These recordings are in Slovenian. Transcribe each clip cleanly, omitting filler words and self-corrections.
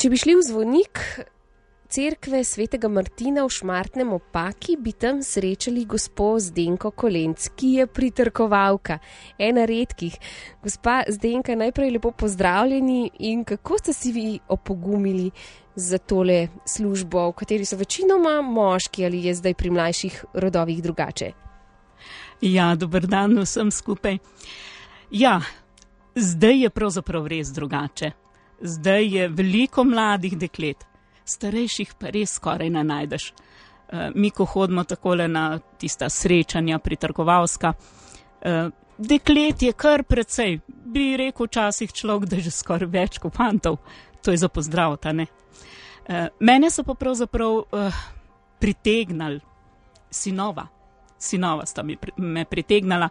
Če bi šli v zvonik cerkve svetega Martina v Šmartnem ob Paki, bi tam srečali gospo Zdenko Kolenc, ki je pritrkovalka, ena redkih. Gospa Zdenka, najprej lepo pozdravljeni in kako ste si vi opogumili za tole službo, v kateri so večinoma moški, ali je zdaj pri mlajših rodovih drugače? Ja, dober dan vsem skupaj. Ja, zdaj je pravzaprav res drugače. Zdaj je veliko mladih deklet. Starejših pa res skoraj ne najdeš. Mi, ko hodimo takole na tista srečanja pritrkovalska, deklet je kar precej, bi rekel včasih človek, da je že skoraj več kot fantov. To je za pozdrav, ta ne. Mene so pa pravzaprav pritegnali sinova. Sinova sta me pritegnala.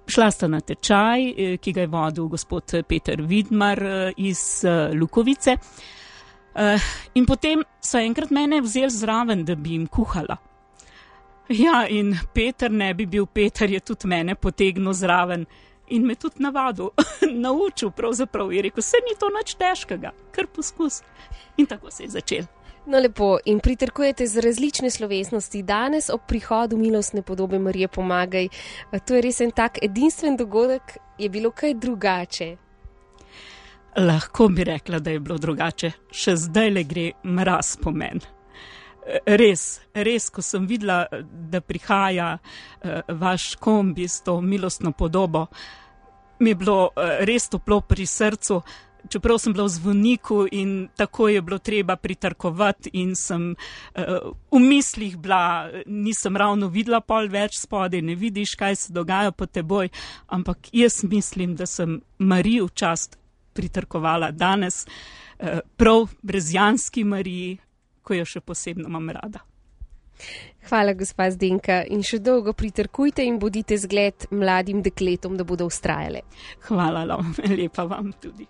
Šla sta na tečaj, ki ga je vodil gospod Peter Vidmar iz Lukovice. In potem so enkrat mene vzeli zraven, da bi jim kuhala. Ja, in Peter ne bi bil Peter, je tudi mene potegnil zraven in me tudi navadil, naučil pravzaprav. Je rekel, se ni to nič težkega, kar poskus. In tako se je začel. No lepo, in pritrkujete z različne slovesnosti. Danes ob prihodu milostne podobe Marije Pomagaj, to je res en tak edinstven dogodek, je bilo kaj drugače? Lahko bi rekla, da je bilo drugače. Še zdaj le gre mraz po meni. Res, ko sem videla, da prihaja vaš kombi s to milostno podobo, mi je bilo res toplo pri srcu, čeprav sem bila v zvoniku in tako je bilo treba pritrkovati in sem v mislih bila, nisem ravno videla pol več spodaj, ne vidiš, kaj se dogaja pod teboj, ampak jaz mislim, da sem Mariji v čast pritrkovala danes, prav brezjanski Mariji, ko jo še posebno imam rada. Hvala, gospa Zdenka, in še dolgo pritrkujte in bodite zgled mladim dekletom, da bodo vztrajale. Hvala, lepa vam tudi.